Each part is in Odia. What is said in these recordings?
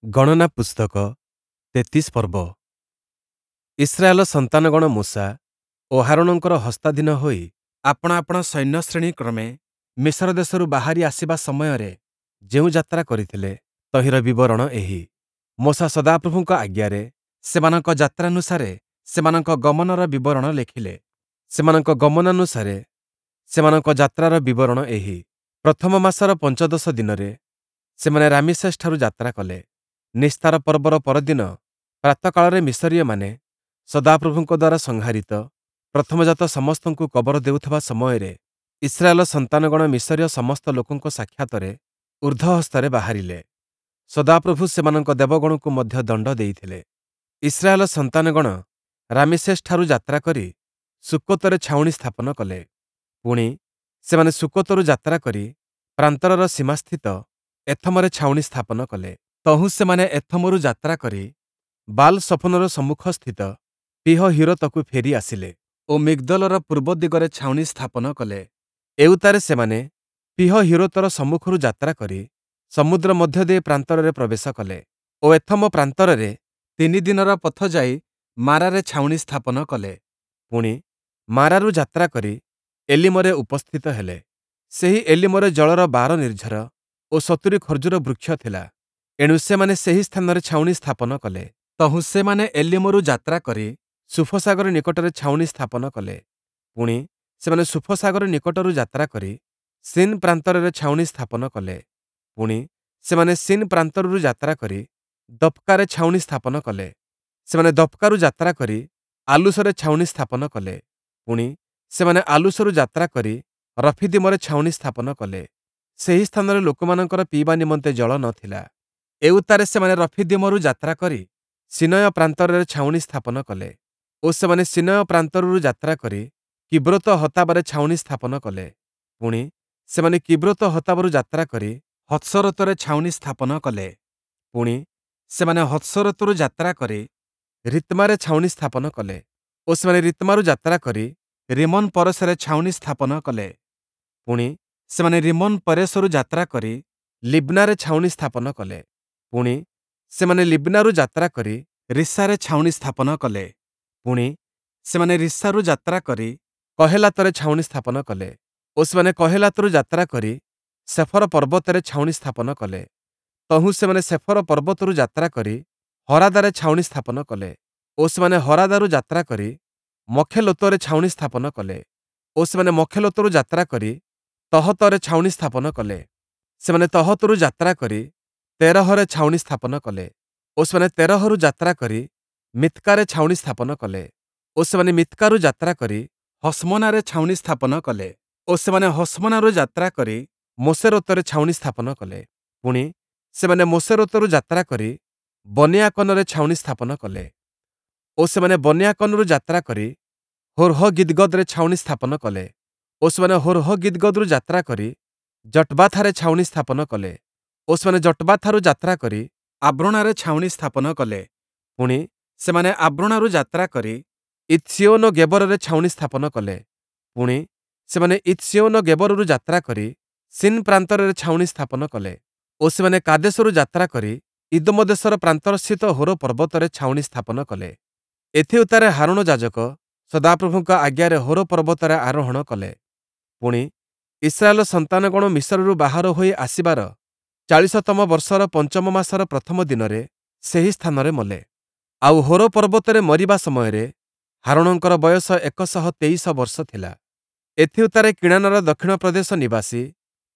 ଗଣନା ପୁସ୍ତକ 33 ପର୍ବ। ଇସ୍ରାଏଲ ସନ୍ତାନଗଣ ମୋଶା ଓ ହାରୋଣଙ୍କର ହସ୍ତାଧୀନ ହୋଇ ଆପଣା ଆପଣା ସୈନ୍ୟଶ୍ରେଣୀ କ୍ରମେ ମିଶର ଦେଶରୁ ବାହାରି ଆସିବା ସମୟରେ ଯେଉଁ ଯାତ୍ରା କରିଥିଲେ, ତହିଁର ବିବରଣ ଏହି। ମୋଶା ସଦାପ୍ରଭୁଙ୍କ ଆଜ୍ଞାରେ ସେମାନଙ୍କ ଯାତ୍ରାନୁସାରେ ସେମାନଙ୍କ ଗମନର ବିବରଣ ଲେଖିଲେ। ସେମାନଙ୍କ ଗମନାନୁସାରେ ସେମାନଙ୍କ ଯାତ୍ରାର ବିବରଣ ଏହି। ପ୍ରଥମ ମାସର ପଞ୍ଚଦଶ ଦିନରେ ସେମାନେ ରାମିସେସ୍‌ଠାରୁ ଯାତ୍ରା କଲେ। ନିସ୍ତାର ପର୍ବର ପରଦିନ ପ୍ରାତଃକାଳରେ ମିଶରୀୟମାନେ ସଦାପ୍ରଭୁଙ୍କ ଦ୍ୱାରା ସଂହାରିତ ପ୍ରଥମଜାତ ସମସ୍ତଙ୍କୁ କବର ଦେଉଥିବା ସମୟରେ ଇସ୍ରାଏଲ ସନ୍ତାନଗଣ ମିଶରୀୟ ସମସ୍ତ ଲୋକଙ୍କ ସାକ୍ଷାତରେ ଊର୍ଦ୍ଧ୍ୱହସ୍ତରେ ବାହାରିଲେ। ସଦାପ୍ରଭୁ ସେମାନଙ୍କ ଦେବଗଣଙ୍କୁ ମଧ୍ୟ ଦଣ୍ଡ ଦେଇଥିଲେ। ଇସ୍ରାଏଲ ସନ୍ତାନଗଣ ରାମିସେସ୍‌ଠାରୁ ଯାତ୍ରା କରି ସୁକ୍କୋତରେ ଛାଉଣି ସ୍ଥାପନ କଲେ। ପୁଣି, ସେମାନେ ସୁକ୍କୋତରୁ ଯାତ୍ରା କରି ପ୍ରାନ୍ତରର ସୀମାସ୍ଥିତ ଏଥମରେ ଛାଉଣି ସ୍ଥାପନ କଲେ। ତହୁଁ ସେମାନେ ଏଥମରୁ ଯାତ୍ରା କରି ବାଲ୍-ସଫୋନର ସମ୍ମୁଖସ୍ଥିତ ପୀହହୀରୋତକୁ ଫେରି ଆସିଲେ ଓ ମିଗ୍ଦୋଲର ପୂର୍ବ ଦିଗରେ ଛାଉଣି ସ୍ଥାପନ କଲେ। ଏଉତ୍ତାରେ ସେମାନେ ପୀହହୀରୋତର ସମ୍ମୁଖରୁ ଯାତ୍ରା କରି ସମୁଦ୍ର ମଧ୍ୟ ଦେଇ ପ୍ରାନ୍ତରରେ ପ୍ରବେଶ କଲେ ଓ ଏଥମ ପ୍ରାନ୍ତରରେ ତିନି ଦିନର ପଥ ଯାଇ ମାରାରେ ଛାଉଣି ସ୍ଥାପନ କଲେ। ପୁଣି, ମାରାରୁ ଯାତ୍ରା କରି ଏଲୀମରେ ଉପସ୍ଥିତ ହେଲେ। ସେହି ଏଲୀମରେ ଜଳର 12 ନିର୍ଝର ଓ 70 ଖର୍ଜୁର ବୃକ୍ଷ ଥିଲା। ଏଣୁ ସେମାନେ ସେହି ସ୍ଥାନରେ ଛାଉଣି ସ୍ଥାପନ କଲେ। ତହୁଁ ସେମାନେ ଏଲୀମରୁ ଯାତ୍ରା କରି ସୁଫ ସାଗର ନିକଟରେ ଛାଉଣି ସ୍ଥାପନ କଲେ। ପୁଣି, ସେମାନେ ସୁଫ ସାଗର ନିକଟରୁ ଯାତ୍ରା କରି ସିନ୍ ପ୍ରାନ୍ତରରେ ଛାଉଣି ସ୍ଥାପନ କଲେ। ପୁଣି, ସେମାନେ ସିନ୍ ପ୍ରାନ୍ତରରୁ ଯାତ୍ରା କରି ଦପ୍‌କାରେ ଛାଉଣି ସ୍ଥାପନ କଲେ। ସେମାନେ ଦପ୍‌କାରୁ ଯାତ୍ରା କରି ଆଲୂଶରେ ଛାଉଣି ସ୍ଥାପନ କଲେ। ପୁଣି, ସେମାନେ ଆଲୂଶରୁ ଯାତ୍ରା କରି ରଫୀଦୀମରେ ଛାଉଣି ସ୍ଥାପନ କଲେ। ସେହି ସ୍ଥାନରେ ଲୋକମାନଙ୍କର ପିଇବା ନିମନ୍ତେ ଜଳ ନ ଥିଲା। ଏଉତ୍ତାରେ ସେମାନେ ରଫୀଦୀମରୁ ଯାତ୍ରା କରି ସୀନୟ ପ୍ରାନ୍ତରରେ ଛାଉଣି ସ୍ଥାପନ କଲେ। ଓ ସେମାନେ ସୀନୟ ପ୍ରାନ୍ତରରୁ ଯାତ୍ରା କରି କିବ୍ରୋତ ହତାବାରେ ଛାଉଣି ସ୍ଥାପନ କଲେ। ପୁଣି, ସେମାନେ କିବ୍ରୋତ ହତାବାରୁ ଯାତ୍ରା କରି ହତ୍ସରୋତରେ ଛାଉଣି ସ୍ଥାପନ କଲେ। ପୁଣି, ସେମାନେ ହତ୍ସରୋତରୁ ଯାତ୍ରା କରି ରିତ୍ମାରେ ଛାଉଣି ସ୍ଥାପନ କଲେ। ଓ ସେମାନେ ରିତ୍ମାରୁ ଯାତ୍ରା କରି ରିମ୍ମୋନ୍ ପରେସରେ ଛାଉଣି ସ୍ଥାପନ କଲେ। ପୁଣି, ସେମାନେ ରିମ୍ମୋନ୍ ପେରେସରୁ ଯାତ୍ରା କରି ଲିବ୍ନାରେ ଛାଉଣି ସ୍ଥାପନ କଲେ। ପୁଣି, ସେମାନେ ଲିବ୍ନାରୁ ଯାତ୍ରା କରି ରିସ୍ସାରେ ଛାଉଣି ସ୍ଥାପନ କଲେ। ପୁଣି, ସେମାନେ ରିସ୍ସାରୁ ଯାତ୍ରା କରି କହେଲାତରେ ଛାଉଣି ସ୍ଥାପନ କଲେ। ଓ ସେମାନେ କହେଲାତରୁ ଯାତ୍ରା କରି ସେଫର ପର୍ବତରେ ଛାଉଣି ସ୍ଥାପନ କଲେ। ତହୁଁ ସେମାନେ ସେଫର ପର୍ବତରୁ ଯାତ୍ରା କରି ହରାଦାରେ ଛାଉଣି ସ୍ଥାପନ କଲେ। ଓ ସେମାନେ ହରାଦାରୁ ଯାତ୍ରା କରି ମଖେଲୋତରେ ଛାଉଣି ସ୍ଥାପନ କଲେ। ଓ ସେମାନେ ମଖେଲୋତରୁ ଯାତ୍ରା କରି ତହତରେ ଛାଉଣି ସ୍ଥାପନ କଲେ। ସେମାନେ ତହତରୁ ଯାତ୍ରା କରି ତେରହରେ ଛାଉଣି ସ୍ଥାପନ କଲେ। ଓ ସେମାନେ ତେରହରୁ ଯାତ୍ରା କରି ମିତ୍କାରେ ଛାଉଣି ସ୍ଥାପନ କଲେ। ଓ ସେମାନେ ମିତ୍କାରୁ ଯାତ୍ରା କରି ହଶ୍ମୋନାରେ ଛାଉଣି ସ୍ଥାପନ କଲେ। ଓ ସେମାନେ ହଶ୍ମୋନାରୁ ଯାତ୍ରା କରି ମୋସେରୋତରେ ଛାଉଣି ସ୍ଥାପନ କଲେ। ପୁଣି, ସେମାନେ ମୋସେରୋତରୁ ଯାତ୍ରା କରି ବନେୟାକନରେ ଛାଉଣି ସ୍ଥାପନ କଲେ। ଓ ସେମାନେ ବନେୟାକନରୁ ଯାତ୍ରା କରି ହୋର୍ହଗିଦ୍ଗଦରେ ଛାଉଣି ସ୍ଥାପନ କଲେ। ଓ ସେମାନେ ହୋର୍ହଗିଦ୍ଗଦରୁ ଯାତ୍ରା କରି ଯଟ୍‌ବାଥାରେ ଛାଉଣି ସ୍ଥାପନ କଲେ। ଓ ସେମାନେ ଯଟ୍‌ବାଥାରୁ ଯାତ୍ରା କରି ଆବ୍ରୋଣାରେ ଛାଉଣି ସ୍ଥାପନ କଲେ। ପୁଣି, ସେମାନେ ଆବ୍ରୋଣାରୁ ଯାତ୍ରା କରି ଇତ୍ସିୟୋନ ଗେବରରେ ଛାଉଣି ସ୍ଥାପନ କଲେ। ପୁଣି, ସେମାନେ ଇତ୍ସିୟୋନ ଗେବରରୁ ଯାତ୍ରା କରି ସିନ୍ ପ୍ରାନ୍ତରରେ ଛାଉଣି ସ୍ଥାପନ କଲେ। ଓ ସେମାନେ କାଦେଶରୁ ଯାତ୍ରା କରି ଇଦୋମ ଦେଶର ପ୍ରାନ୍ତରସ୍ଥିତ ହୋର ପର୍ବତରେ ଛାଉଣି ସ୍ଥାପନ କଲେ। ଏଥିଉତ୍ତାରେ ହାରୋଣ ଯାଜକ ସଦାପ୍ରଭୁଙ୍କ ଆଜ୍ଞାରେ ହୋର ପର୍ବତରେ ଆରୋହଣ କଲେ। ପୁଣି, ଇସ୍ରାଏଲ ସନ୍ତାନଗଣ ମିଶରରୁ ବାହାର ହୋଇ ଆସିବାର 40ତମ ବର୍ଷର ପଞ୍ଚମ ମାସର ପ୍ରଥମ ଦିନରେ ସେହି ସ୍ଥାନରେ ମଲେ। ଆଉ ହୋର ପର୍ବତରେ ମରିବା ସମୟରେ ହାରୋଣଙ୍କର ବୟସ 123 ବର୍ଷ ଥିଲା। ଏଥିଉତ୍ତାରେ କିଣାନର ଦକ୍ଷିଣ ପ୍ରଦେଶ ନିବାସୀ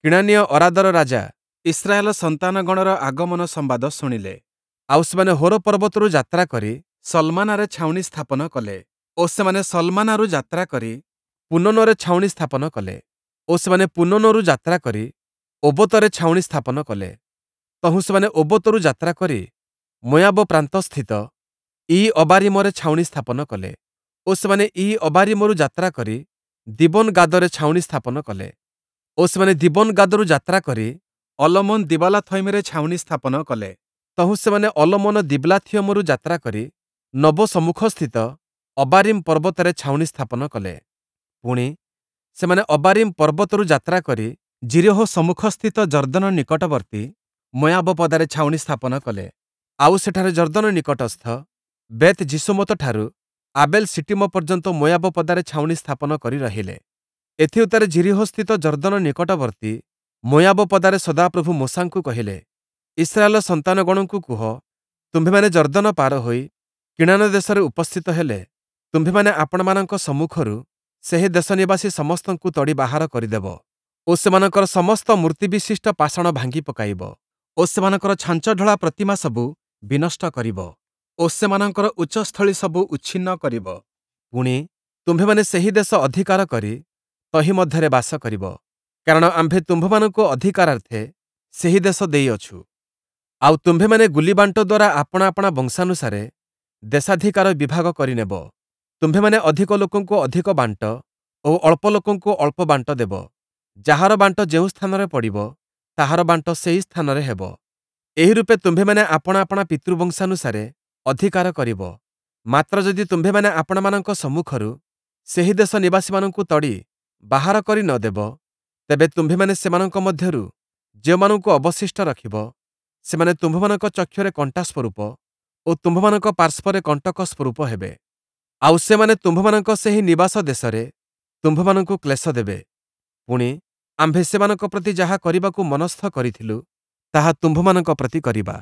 କିଣାନୀୟ ଅରାଦର ରାଜା ଇସ୍ରାଏଲ ସନ୍ତାନଗଣର ଆଗମନ ସମ୍ବାଦ ଶୁଣିଲେ। ଆଉ ସେମାନେ ହୋର ପର୍ବତରୁ ଯାତ୍ରା କରି ସଲ୍‌ମାନାରେ ଛାଉଣି ସ୍ଥାପନ କଲେ। ଓ ସେମାନେ ସଲ୍‌ମାନାରୁ ଯାତ୍ରା କରି ପୂନୋନରେ ଛାଉଣି ସ୍ଥାପନ କଲେ। ଓ ସେମାନେ ପୂନୋନରୁ ଯାତ୍ରା କରି ଓବୋତରେ ଛାଉଣି ସ୍ଥାପନ କଲେ। ତହୁଁ ସେମାନେ ଓବୋତରୁ ଯାତ୍ରା କରି ମୋୟାବ ପ୍ରାନ୍ତସ୍ଥିତ ଇୟୀ-ଅବାରୀମରେ ଛାଉଣି ସ୍ଥାପନ କଲେ। ଓ ସେମାନେ ଇୟୀ-ଅବାରୀମରୁ ଯାତ୍ରା କରି ଦୀବୋନ୍-ଗାଦରେ ଛାଉଣି ସ୍ଥାପନ କଲେ। ଓ ସେମାନେ ଦୀବୋନ୍-ଗାଦରୁ ଯାତ୍ରା କରି ଅଲମୋନ୍ ଦିବଲାଥୟିମରେ ଛାଉଣି ସ୍ଥାପନ କଲେ। ତହୁଁ ସେମାନେ ଅଲମୋନ ଦିବ୍ଲାଥିୟମରୁ ଯାତ୍ରା କରି ନବୋ ସମ୍ମୁଖସ୍ଥିତ ଅବାରୀମ୍ ପର୍ବତରେ ଛାଉଣି ସ୍ଥାପନ କଲେ। ପୁଣି, ସେମାନେ ଅବାରୀମ୍ ପର୍ବତରୁ ଯାତ୍ରା କରି ଯିରୀହୋ ସମ୍ମୁଖସ୍ଥିତ ଯର୍ଦ୍ଦନ ନିକଟବର୍ତ୍ତୀ ମୋୟାବ ପଦାରେ ଛାଉଣି ସ୍ଥାପନ କଲେ। ଆଉ ସେଠାରେ ଯର୍ଦ୍ଦନ ନିକଟସ୍ଥ ବେଥ୍-ଯିଶୀମୋତଠାରୁ ଆବେଲ୍-ଶିଟୀମ ପର୍ଯ୍ୟନ୍ତ ମୋୟାବ ପଦାରେ ଛାଉଣି ସ୍ଥାପନ କରି ରହିଲେ। ଏଥିଉତ୍ତାରେ ଯିରୀହୋସ୍ଥିତ ଯର୍ଦ୍ଦନ ନିକଟବର୍ତ୍ତୀ ମୋୟାବ ପଦାରେ ସଦାପ୍ରଭୁ ମୋଶାଙ୍କୁ କହିଲେ, ଇସ୍ରାଏଲର ସନ୍ତାନଗଣଙ୍କୁ କୁହ, ତୁମ୍ଭେମାନେ ଯର୍ଦ୍ଦନ ପାର ହୋଇ କିଣାନ ଦେଶରେ ଉପସ୍ଥିତ ହେଲେ, ତୁମ୍ଭେମାନେ ଆପଣାମାନଙ୍କ ସମ୍ମୁଖରୁ ସେହି ଦେଶନିବାସୀ ସମସ୍ତଙ୍କୁ ତଡ଼ି ବାହାର କରିଦେବ ଓ ସେମାନଙ୍କର ସମସ୍ତ ମୂର୍ତ୍ତିବିଶିଷ୍ଟ ପାଷାଣ ଭାଙ୍ଗି ପକାଇବ ଓ ସେମାନଙ୍କର ଛାଞ୍ଚଢ଼ଳା ପ୍ରତିମାସବୁ ବିନଷ୍ଟ କରିବ ଓ ସେମାନଙ୍କର ଉଚ୍ଚସ୍ଥଳୀସବୁ ଉଚ୍ଛିନ୍ନ କରିବ। ପୁଣି, ତୁମ୍ଭେମାନେ ସେହି ଦେଶ ଅଧିକାର କରି ତହିଁ ମଧ୍ୟରେ ବାସ କରିବ, କାରଣ ଆମ୍ଭେ ତୁମ୍ଭମାନଙ୍କୁ ଅଧିକାରାର୍ଥେ ସେହି ଦେଶ ଦେଇଅଛୁ। ଆଉ ତୁମ୍ଭେମାନେ ଗୁଲିବାଣ୍ଟ ଦ୍ୱାରା ଆପଣା ଆପଣା ବଂଶାନୁସାରେ ଦେଶାଧିକାର ବିଭାଗ କରିନେବ। ତୁମ୍ଭେମାନେ ଅଧିକ ଲୋକଙ୍କୁ ଅଧିକ ବାଣ୍ଟ ଓ ଅଳ୍ପ ଲୋକଙ୍କୁ ଅଳ୍ପ ବାଣ୍ଟ ଦେବ। ଯାହାର ବାଣ୍ଟ ଯେଉଁ ସ୍ଥାନରେ ପଡ଼ିବ, ତାହାର ବାଣ୍ଟ ସେହି ସ୍ଥାନରେ ହେବ। ଏହି ରୂପେ ତୁମ୍ଭେମାନେ ଆପଣା ଆପଣା ପିତୃବଂଶାନୁସାରେ ଅଧିକାର କରିବ। ମାତ୍ର ଯଦି ତୁମ୍ଭେମାନେ ଆପଣାମାନଙ୍କ ସମ୍ମୁଖରୁ ସେହି ଦେଶ ନିବାସୀମାନଙ୍କୁ ତଡ଼ି ବାହାର କରି ନ ଦେବ, ତେବେ ତୁମ୍ଭେମାନେ ସେମାନଙ୍କ ମଧ୍ୟରୁ ଯେଉଁମାନଙ୍କୁ ଅବଶିଷ୍ଟ ରଖିବ, ସେମାନେ ତୁମ୍ଭମାନଙ୍କ ଚକ୍ଷୁରେ କଣ୍ଟା ସ୍ୱରୂପ ଓ ତୁମ୍ଭମାନଙ୍କ ପାର୍ଶ୍ୱରେ କଣ୍ଟକ ସ୍ୱରୂପ ହେବେ। ଆଉ ସେମାନେ ତୁମ୍ଭମାନଙ୍କ ସେହି ନିବାସ ଦେଶରେ ତୁମ୍ଭମାନଙ୍କୁ କ୍ଲେଶ ଦେବେ। ପୁଣି, ଆମ୍ଭେ ସେମାନଙ୍କ ପ୍ରତି ଯାହା କରିବାକୁ ମନସ୍ଥ କରିଥିଲୁ, ତାହା ତୁମ୍ଭମାନଙ୍କ ପ୍ରତି କରିବା।